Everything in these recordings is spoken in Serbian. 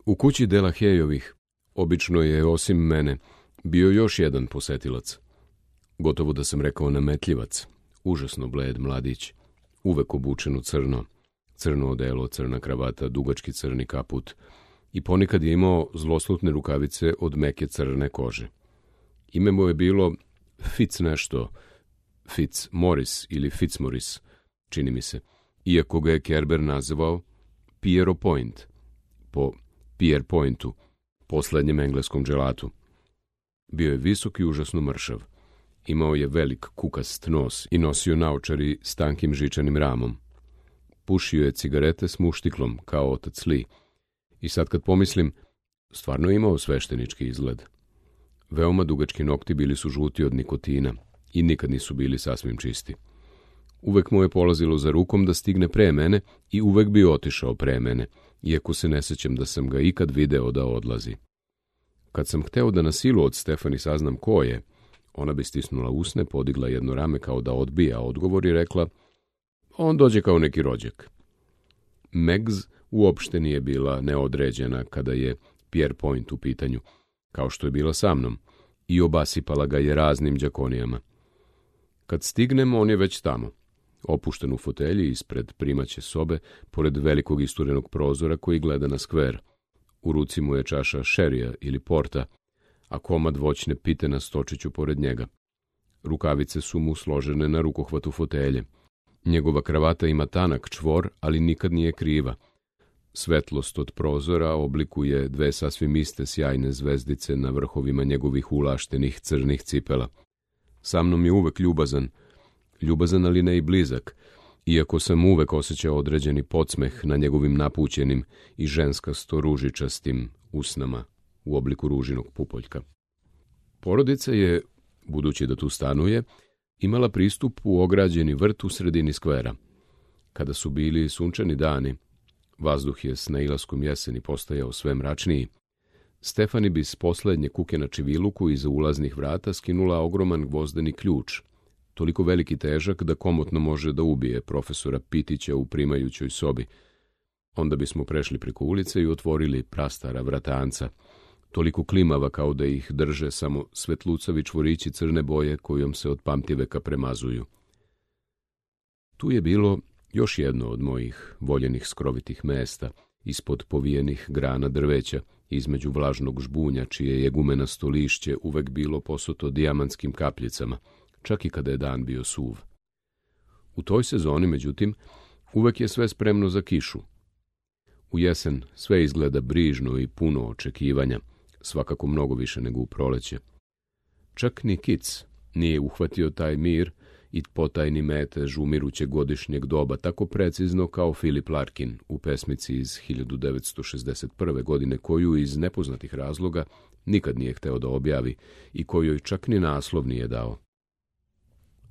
U kući Delahejovih obično je, osim mene, bio još jedan posetilac. Gotovo da sam rekao nametljivac, užasno bled mladić, uvek obučen u crno, crno odelo, crna kravata, dugački crni kaput i ponekad je imao zloslutne rukavice od meke crne kože. Ime mu je bilo Fitz nešto, Fitz Morris ili Fitzmaurice, čini mi se, iako ga je Kerber nazvao Pierrot Point, po Pierre Pointu, poslednjem engleskom dželatu. Bio je visok i užasno mršav. Imao je velik kukast nos i nosio naočari s tankim žičanim ramom. Pušio je cigarete s muštiklom, kao otac Lee. I sad kad pomislim, stvarno je imao sveštenički izgled. Veoma dugački nokti bili su žuti od nikotina i nikad nisu bili sasvim čisti. Uvek mu je polazilo za rukom da stigne pre mene i uvek bi otišao pre mene, iako se ne sećam da sam ga ikad video da odlazi. Kad sam hteo da na silu od Stefani saznam ko je, ona bi stisnula usne, podigla jedno rame kao da odbija odgovor i rekla: on dođe kao neki rođak. Megs uopšte nije bila neodređena kada je Pierre Point u pitanju, kao što je bila sa mnom, i obasipala ga je raznim đakonijama. Kad stignem, on je već tamo, opušten u fotelji ispred primaće sobe, pored velikog isturenog prozora koji gleda na skver. U ruci mu je čaša šerija ili porta, a komad voćne pite na stočiću pored njega. Rukavice su mu složene na rukohvatu fotelje. Njegova kravata ima tanak čvor, ali nikad nije kriva. Svetlost od prozora oblikuje dve sasvim iste sjajne zvezdice na vrhovima njegovih ulaštenih crnih cipela. Sa mnom je uvek ljubazan ali ne i blizak, iako sam uvek osjećao određeni podsmeh na njegovim napućenim i ženskasto ružičastim usnama u obliku ružinog pupoljka. Porodica je, budući da tu stanuje, imala pristup u ograđeni vrt u sredini skvera. Kada su bili sunčani dani, vazduh je s nailaskom jeseni postajao sve mračniji, Stefani bi s poslednje kuke na čiviluku iza ulaznih vrata skinula ogroman gvozdeni ključ, toliko veliki i težak da komotno može da ubije profesora Pitića u primajućoj sobi. Onda bismo prešli preko ulice i otvorili prastara vratanca, toliko klimava kao da ih drže samo svetlucavi čvorići crne boje kojom se od pamtiveka premazuju. Tu je bilo još jedno od mojih voljenih skrovitih mesta, ispod povijenih grana drveća, između vlažnog žbunja, čije je gumenasto lišće uvek bilo posuto dijamantskim kapljicama, čak i kada je dan bio suv. U toj sezoni, međutim, uvek je sve spremno za kišu. U jesen sve izgleda brižno i puno očekivanja, svakako mnogo više nego u proleće. Čak ni Kic nije uhvatio taj mir i potajni metež umirućeg godišnjeg doba tako precizno kao Philip Larkin u pesmici iz 1961. godine, koju iz nepoznatih razloga nikad nije hteo da objavi i kojoj čak ni naslov nije dao.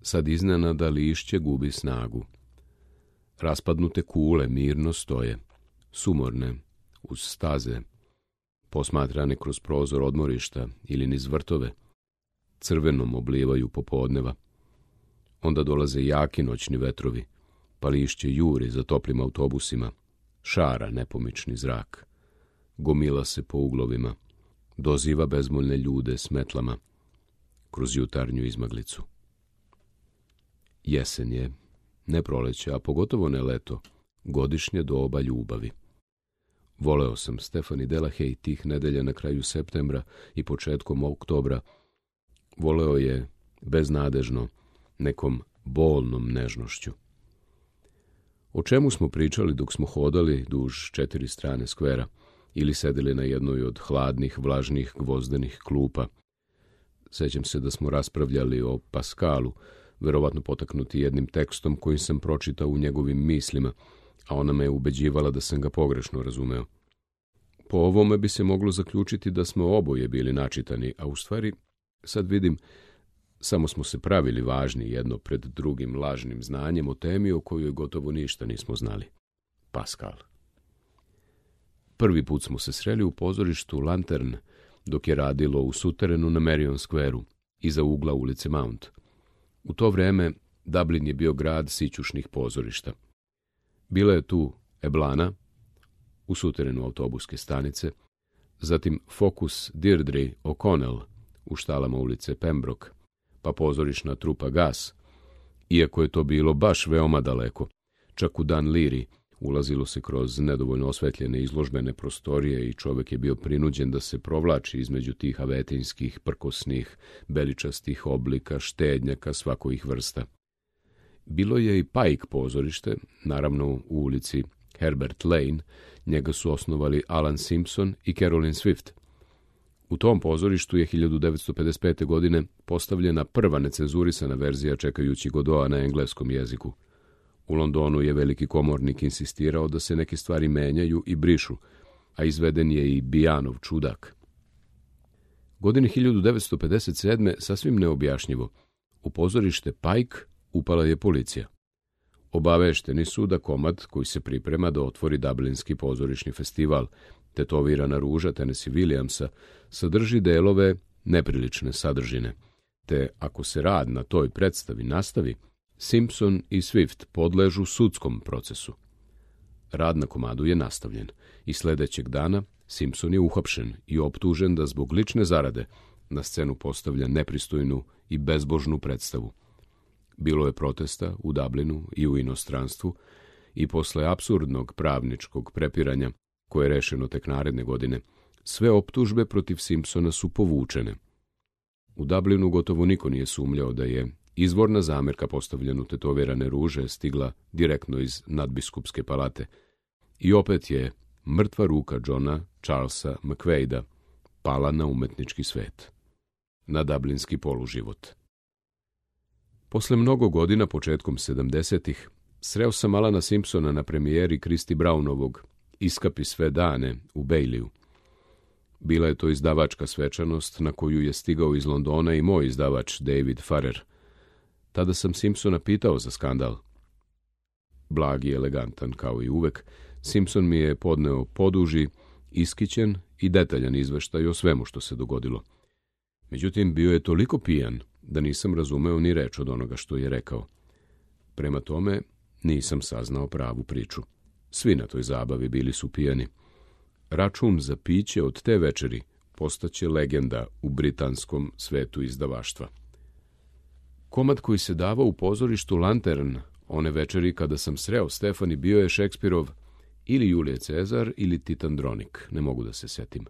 Sad iznenada lišće gubi snagu. Raspadnute kule mirno stoje, sumorne, uz staze, posmatrane kroz prozor odmorišta ili niz vrtove, crvenom oblivaju popodneva. Onda dolaze jaki noćni vetrovi, pa lišće juri za toplim autobusima, šara nepomični zrak, gomila se po uglovima, doziva bezmoljne ljude s metlama kroz jutarnju izmaglicu. Jesen je, ne proleće, a pogotovo ne leto, godišnje doba ljubavi. Voleo sam Stefani Delahej tih nedelja na kraju septembra i početkom oktobra. Voleo je beznadežno, nekom bolnom nežnošću. O čemu smo pričali dok smo hodali duž 4 strane skvera ili sedeli na jednoj od hladnih, vlažnih gvozdenih klupa? Sećam se da smo raspravljali o Paskalu, verovatno potaknuti jednim tekstom koji sam pročitao u njegovim mislima, a ona me je ubeđivala da sam ga pogrešno razumeo. Po ovome bi se moglo zaključiti da smo oboje bili načitani, a u stvari, sad vidim, samo smo se pravili važni jedno pred drugim lažnim znanjem o temi o kojoj gotovo ništa nismo znali. Paskal. Prvi put smo se sreli u pozorištu Lantern, dok je radilo u suterenu na Marion Squareu, iza ugla ulice Mount. U to vreme Dublin je bio grad sićušnih pozorišta. Bila je tu Eblana, u suterenu autobuske stanice, zatim Fokus Deirdre O'Connell u štalama ulice Pembroke, pa pozorišna trupa Gas, iako je to bilo baš veoma daleko. Čak u Dan Leary ulazilo se kroz nedovoljno osvetljene izložbene prostorije i čovjek je bio prinuđen da se provlači između tih avetinskih, prkosnih, beličastih oblika, štednjaka svakojih vrsta. Bilo je i Pike pozorište, naravno u ulici Herbert Lane, njega su osnovali Alan Simpson i Caroline Swift. U tom pozorištu je 1955. godine postavljena prva necenzurisana verzija čekajući Godoa na engleskom jeziku. U Londonu je veliki komornik insistirao da se neke stvari menjaju i brišu, a izveden je i Bijanov čudak. Godine 1957. sasvim neobjašnjivo, u pozorište Pike upala je policija. Obavešteni su da komad koji se priprema da otvori Dublinski pozorišni festival, Tetovirana ruža Tennessee Williamsa, sadrži delove neprilične sadržine, te ako se rad na toj predstavi nastavi, Simpson i Swift podležu sudskom procesu. Rad na komadu je nastavljen i sljedećeg dana Simpson je uhapšen i optužen da zbog lične zarade na scenu postavlja nepristojnu i bezbožnu predstavu. Bilo je protesta u Dublinu i u inostranstvu i posle apsurdnog pravničkog prepiranja, koje je rešeno tek naredne godine, sve optužbe protiv Simpsona su povučene. U Dublinu gotovo niko nije sumnjao da je izvorna zamerka postavljena u Tetovirane ruže stigla direktno iz nadbiskupske palate i opet je mrtva ruka Johna Charlesa McQuaida pala na umetnički svet, na dublinski poluživot. Posle mnogo godina, početkom 70-ih, sreo sam Alana Simpsona na premijeri Kristi Brownovog Iskapi sve dane u Baileyu. Bila je to izdavačka svečanost na koju je stigao iz Londona i moj izdavač David Farrer. Tada sam Simpsona pitao za skandal. Blag i elegantan kao i uvek, Simpson mi je podneo poduži, iskićen i detaljan izveštaj o svemu što se dogodilo. Međutim, bio je toliko pijan da nisam razumeo ni reč od onoga što je rekao. Prema tome, nisam saznao pravu priču. Svi na toj zabavi bili su pijani. Račun za piće od te večeri postaće legenda u britanskom svetu izdavaštva. Komad koji se davao u pozorištu Lantern one večeri kada sam sreo Stefani bio je Šekspirov ili Julije Cezar ili Titandronik, ne mogu da se setim.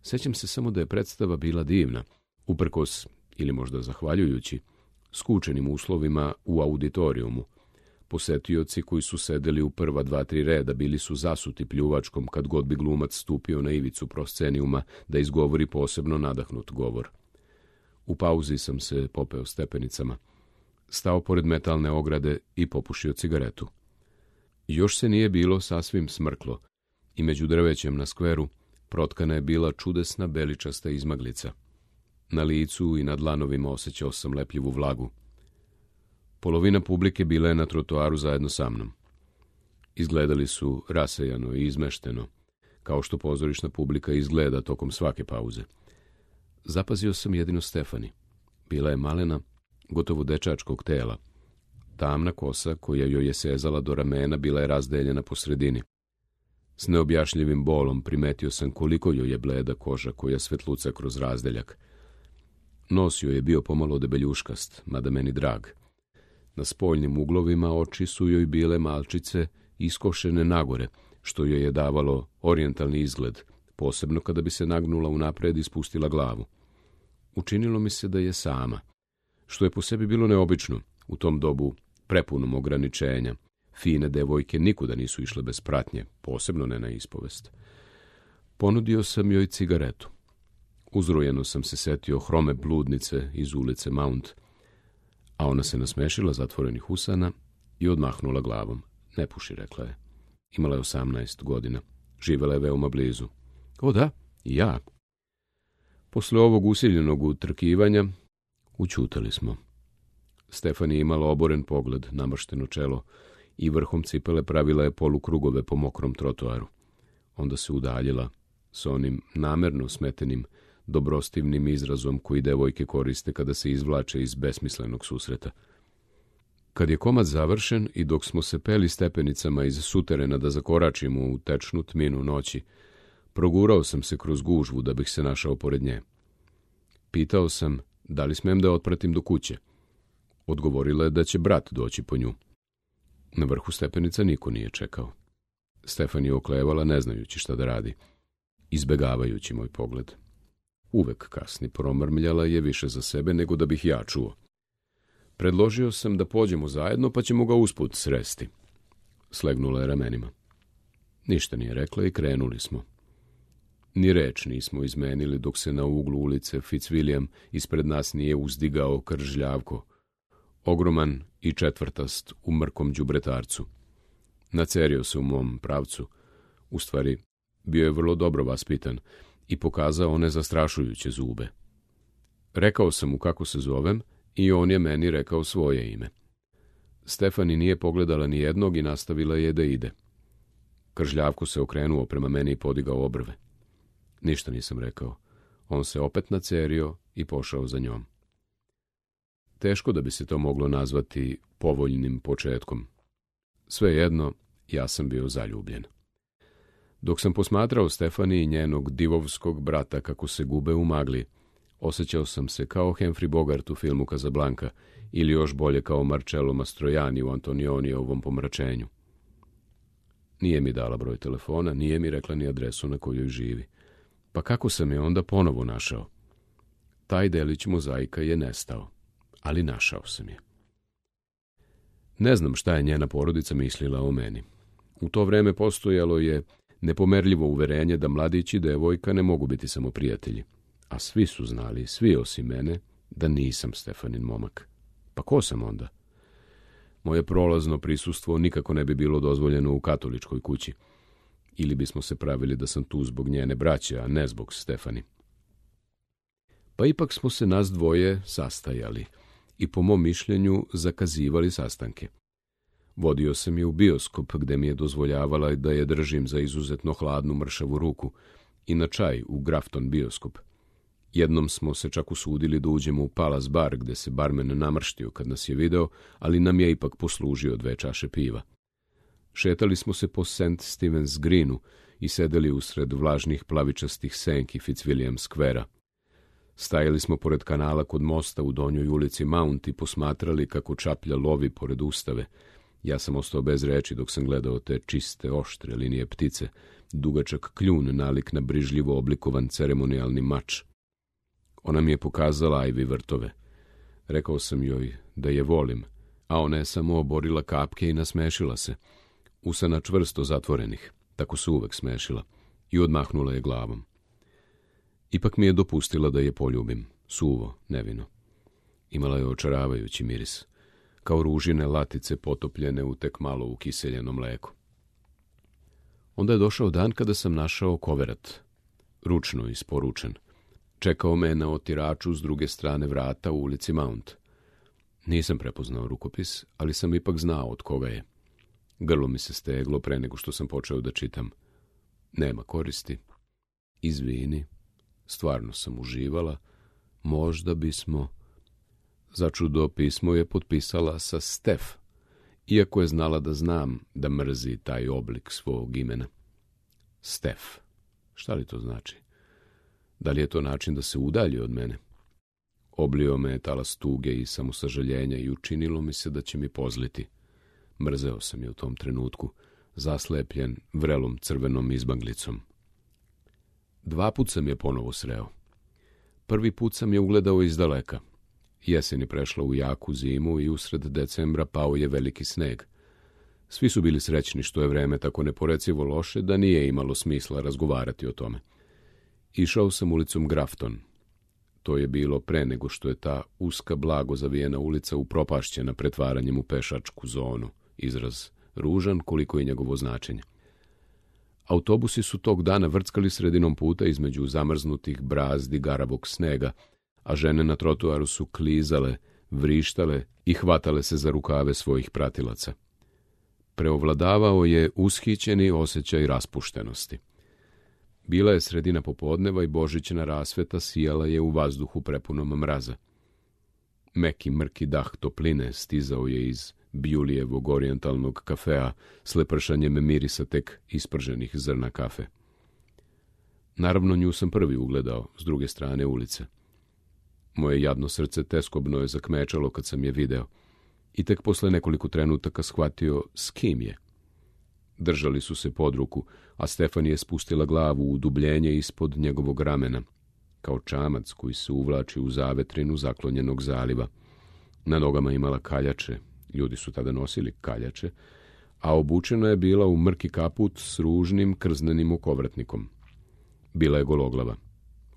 Sećam se samo da je predstava bila divna, uprkos, ili možda zahvaljujući, skučenim uslovima u auditorijumu. Posetioci koji su sedeli u prva 2-3 reda bili su zasuti pljuvačkom kad god bi glumac stupio na ivicu proscenijuma da izgovori posebno nadahnut govor. U pauzi sam se popeo stepenicama, stao pored metalne ograde i popušio cigaretu. Još se nije bilo sasvim smrklo i među drvećem na skveru protkana je bila čudesna beličasta izmaglica. Na licu i na dlanovima osjećao sam lepljivu vlagu. Polovina publike bila je na trotoaru zajedno sa mnom. Izgledali su rasejano i izmešteno, kao što pozorišna publika izgleda tokom svake pauze. Zapazio sam jedino Stefani. Bila je malena, gotovo dečačkog tela. Tamna kosa koja joj je sezala do ramena bila je razdeljena po sredini. S neobjašnjivim bolom primetio sam koliko joj je bleda koža koja svetluca kroz razdeljak. Nos joj je bio pomalo debeljuškast, mada meni drag. Na spoljnim uglovima oči su joj bile malčice iskošene nagore, što joj je davalo orijentalni izgled, posebno kada bi se nagnula unapred i spustila glavu. Učinilo mi se da je sama, što je po sebi bilo neobično, u tom dobu prepunom ograničenja. Fine devojke nikuda nisu išle bez pratnje, posebno ne na ispovest. Ponudio sam joj cigaretu. Uzrujeno sam se setio hrome bludnice iz ulice Mount, a ona se nasmešila zatvorenih usana i odmahnula glavom. Ne puši, rekla je. Imala je 18 godina. Živela je veoma blizu. O da, i ja. Posle ovog usiljenog utrkivanja ućutali smo. Stefani je imala oboren pogled, namršteno čelo i vrhom cipele pravila je polukrugove po mokrom trotoaru. Onda se udaljila s onim namerno smetenim, dobrostivnim izrazom koji devojke koriste kada se izvlače iz besmislenog susreta. Kad je komad završen i dok smo se peli stepenicama iz suterena da zakoračimo u tečnu tminu noći, Progurao sam se kroz gužvu da bih se našao pored nje. Pitao sam da li smem da otpratim do kuće. Odgovorila je da će brat doći po nju. Na vrhu stepenica niko nije čekao. Stefan je oklevala ne znajući šta da radi, izbegavajući moj pogled. Uvek kasni, promrmljala je više za sebe nego da bih ja čuo. Predložio sam da pođemo zajedno pa ćemo ga usput sresti. Slegnula je ramenima. Ništa nije rekla i krenuli smo. Ni reč nismo izmenili dok se na uglu ulice Fitzwilliam ispred nas nije uzdigao kržljavko, ogroman i četvrtast u mrkom đubretarcu. Nacerio se u mom pravcu, u stvari bio je vrlo dobro vaspitan i pokazao one zastrašujuće zube. Rekao sam mu kako se zovem i on je meni rekao svoje ime. Stefani nije pogledala ni jednog i nastavila je da ide. Kržljavko se okrenuo prema meni i podigao obrve. Ništa nisam rekao. On se opet nacerio i pošao za njom. Teško da bi se to moglo nazvati povoljnim početkom. Svejedno, ja sam bio zaljubljen. Dok sam posmatrao Stefani i njenog divovskog brata kako se gube u magli, osjećao sam se kao Humphrey Bogart u filmu Casablanca ili još bolje kao Marcello Mastroianni u Antonionijevom pomračenju. Nije mi dala broj telefona, nije mi rekla ni adresu na kojoj živi. Pa kako sam je onda ponovo našao? Taj delić mozaika je nestao, ali našao sam je. Ne znam šta je njena porodica mislila o meni. U to vreme postojalo je nepomerljivo uverenje da mladić i devojka ne mogu biti samo prijatelji. A svi su znali, svi osim mene, da nisam Stefanin momak. Pa ko sam onda? Moje prolazno prisustvo nikako ne bi bilo dozvoljeno u katoličkoj kući. Ili bismo se pravili da sam tu zbog njene braće, a ne zbog Stefani. Pa ipak smo se nas dvoje sastajali i po mom mišljenju zakazivali sastanke. Vodio sam je u bioskop gde mi je dozvoljavala da je držim za izuzetno hladnu mršavu ruku i na čaj u Grafton bioskop. Jednom smo se čak usudili da uđemo u Palace bar gde se barmen namrštio kad nas je video, ali nam je ipak poslužio 2 čaše piva. Šetali smo se po St. Stephen's Greenu i sedeli usred vlažnih plavičastih senki Fitzwilliam Square-a. Stajali smo pored kanala kod mosta u donjoj ulici Mount i posmatrali kako čaplja lovi pored ustave. Ja sam ostao bez reči dok sam gledao te čiste, oštre linije ptice, dugačak kljun nalik na brižljivo oblikovan ceremonijalni mač. Ona mi je pokazala ajvi vrtove. Rekao sam joj da je volim, a ona je samo oborila kapke i nasmešila se. Usana čvrsto zatvorenih, tako se uvek smešila, i odmahnula je glavom. Ipak mi je dopustila da je poljubim, suvo, nevino. Imala je očaravajući miris, kao ružine latice potopljene u tek malo ukiseljeno mleko. Onda je došao dan kada sam našao koverat, ručno isporučen. Čekao me na otiraču s druge strane vrata u ulici Mount. Nisam prepoznao rukopis, ali sam ipak znao od koga je. Grlo mi se steglo pre nego što sam počeo da čitam. Nema koristi. Izvini. Stvarno sam uživala. Možda bismo... Začudo pismo je potpisala sa Stef, iako je znala da znam da mrzi taj oblik svog imena. Stef. Šta li to znači? Da li je to način da se udalji od mene? Oblio me je talas tuge i samosažaljenja i učinilo mi se da će mi pozliti. Mrzeo sam je u tom trenutku, zaslepljen vrelom crvenom izbanglicom. 2 put sam je ponovo sreo. Prvi put sam je ugledao izdaleka. Jesen je prešla u jaku zimu i usred decembra pao je veliki sneg. Svi su bili srećni što je vreme tako neporecivo loše da nije imalo smisla razgovarati o tome. Išao sam ulicom Grafton. To je bilo pre nego što je ta uska blago zavijena ulica upropašćena pretvaranjem u pešačku zonu, izraz ružan koliko je njegovo značenje. Autobusi su tog dana vrckali sredinom puta između zamrznutih brazdi garavog snega, a žene na trotuaru su klizale, vrištale i hvatale se za rukave svojih pratilaca. Preovladavao je ushićeni osjećaj raspuštenosti. Bila je sredina popodneva i božićna rasveta sijala je u vazduhu prepunom mraza. Meki mrki dah topline stizao je iz Bjulijevog orijentalnog kafea s lepršanjem mirisa tek isprženih zrna kafe. Naravno, nju sam prvi ugledao s druge strane ulice. Moje jadno srce teskobno je zakmečalo kad sam je video i tek posle nekoliko trenutaka shvatio s kim je. Držali su se pod ruku, a Stefani je spustila glavu u dubljenje ispod njegovog ramena, kao čamac koji se uvlači u zavetrinu zaklonjenog zaliva. Na nogama imala kaljače, ljudi su tada nosili kaljače, a obučena je bila u mrki kaput s ružnim krznenim okovratnikom. Bila je gologlava.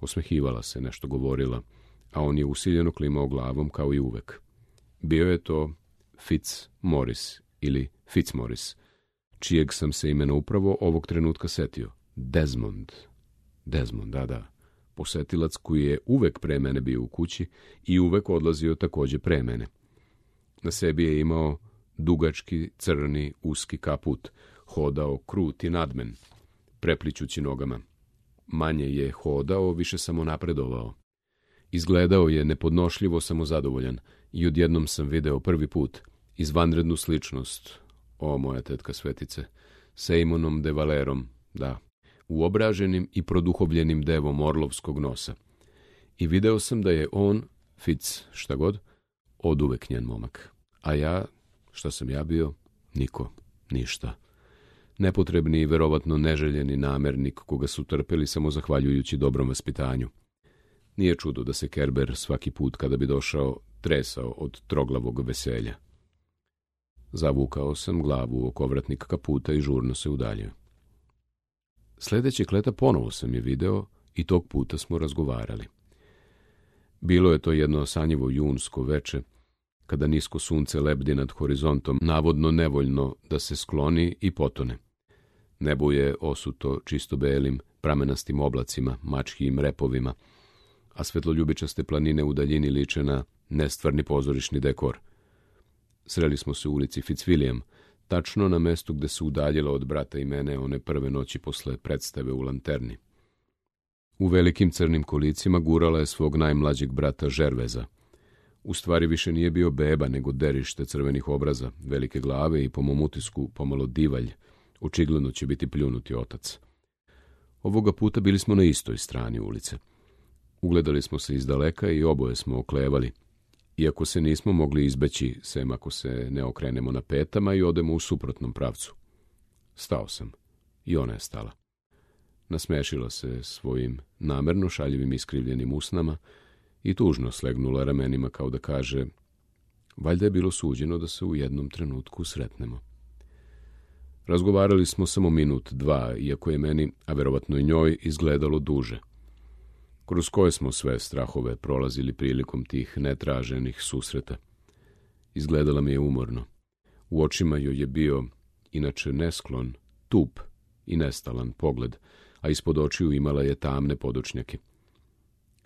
Osmehivala se, nešto govorila, a on je usiljeno klimao glavom kao i uvek. Bio je to Fitzmaurice ili Fitzmaurice, čijeg sam se imena upravo ovog trenutka setio. Desmond, da. Posetilac koji je uvek pre mene bio u kući i uvek odlazio takođe pre mene. Na sebi je imao dugački, crni, uski kaput, hodao krut i nadmen, preplićući nogama. Manje je hodao, više samo napredovao. Izgledao je nepodnošljivo samozadovoljan i odjednom sam video prvi put izvanrednu sličnost, o moja tetka Svetice, Sejmonom de Valerom, da, uobraženim i produhovljenim devom orlovskog nosa. I video sam da je on, Fitz, šta god, oduvek njen momak. A ja, šta sam ja bio? Niko, ništa. Nepotrebni i verovatno neželjeni namernik koga su trpeli samo zahvaljujući dobrom vaspitanju. Nije čudo da se Kerber svaki put kada bi došao tresao od troglavog veselja. Zavukao sam glavu u okovratnik kaputa i žurno se udaljio. Sledećeg leta ponovo sam je video i tog puta smo razgovarali. Bilo je to jedno sanjivo junsko veče, kada nisko sunce lebdi nad horizontom, navodno nevoljno da se skloni i potone. Nebo je osuto čisto belim, pramenastim oblacima, mačhijim repovima, a svetloljubičaste planine u daljini liče na nestvarni pozorišni dekor. Sreli smo se u ulici Fitzwilliam, tačno na mestu gde se udaljila od brata i mene one prve noći posle predstave u Lanterni. U velikim crnim kolicima gurala je svog najmlađeg brata Žerveza. U stvari više nije bio beba, nego derište crvenih obraza, velike glave i po mom utisku pomalo divalj. Očigledno će biti pljunuti otac. Ovoga puta bili smo na istoj strani ulice. Ugledali smo se izdaleka i oboje smo oklevali, iako se nismo mogli izbeći, sem ako se ne okrenemo na petama i odemo u suprotnom pravcu. Stao sam i ona je stala. Nasmešila se svojim namerno šaljivim iskrivljenim usnama i tužno slegnula ramenima kao da kaže, valjda je bilo suđeno da se u jednom trenutku sretnemo. Razgovarali smo samo minut, dva, iako je meni, a verovatno i njoj, izgledalo duže. Kroz koje smo sve strahove prolazili prilikom tih netraženih susreta. Izgledala mi je umorno. U očima joj je bio, inače nesklon, tup i nestalan pogled, a ispod očiju imala je tamne podočnjake.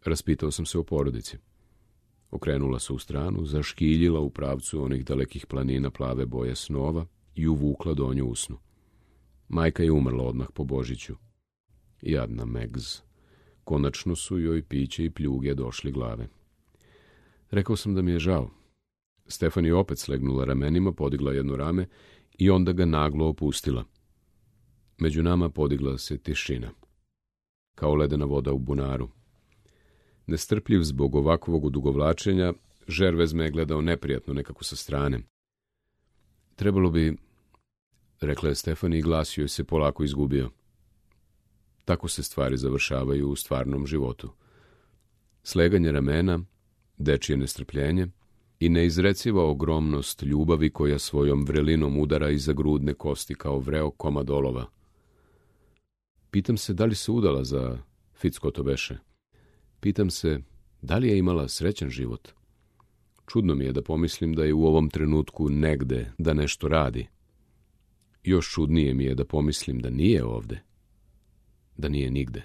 Raspitao sam se o porodici. Okrenula se u stranu, zaškiljila u pravcu onih dalekih planina plave boje snova i uvukla donju usnu. Majka je umrla odmah po Božiću. Jadna Megs. Konačno su joj piće i pljuge došli glave. Rekao sam da mi je žao. Stefani je opet slegnula ramenima, podigla jedno rame i onda ga naglo opustila. Među nama podigla se tišina, kao ledena voda u bunaru. Nestrpljiv zbog ovakvog odugovlačenja, Žervez me je gledao neprijatno nekako sa strane. Trebalo bi, rekla je Stefani i glas joj se polako izgubio. Tako se stvari završavaju u stvarnom životu. Sleganje ramena, dečije nestrpljenje i neizreciva ogromnost ljubavi koja svojom vrelinom udara iza grudne kosti kao vreo komad olova. Pitam se da li se udala za Fitzkotoveše. Pitam se da li je imala srećan život. Čudno mi je da pomislim da je u ovom trenutku negde da nešto radi. Još čudnije mi je da pomislim da nije ovde. Da nije nigde.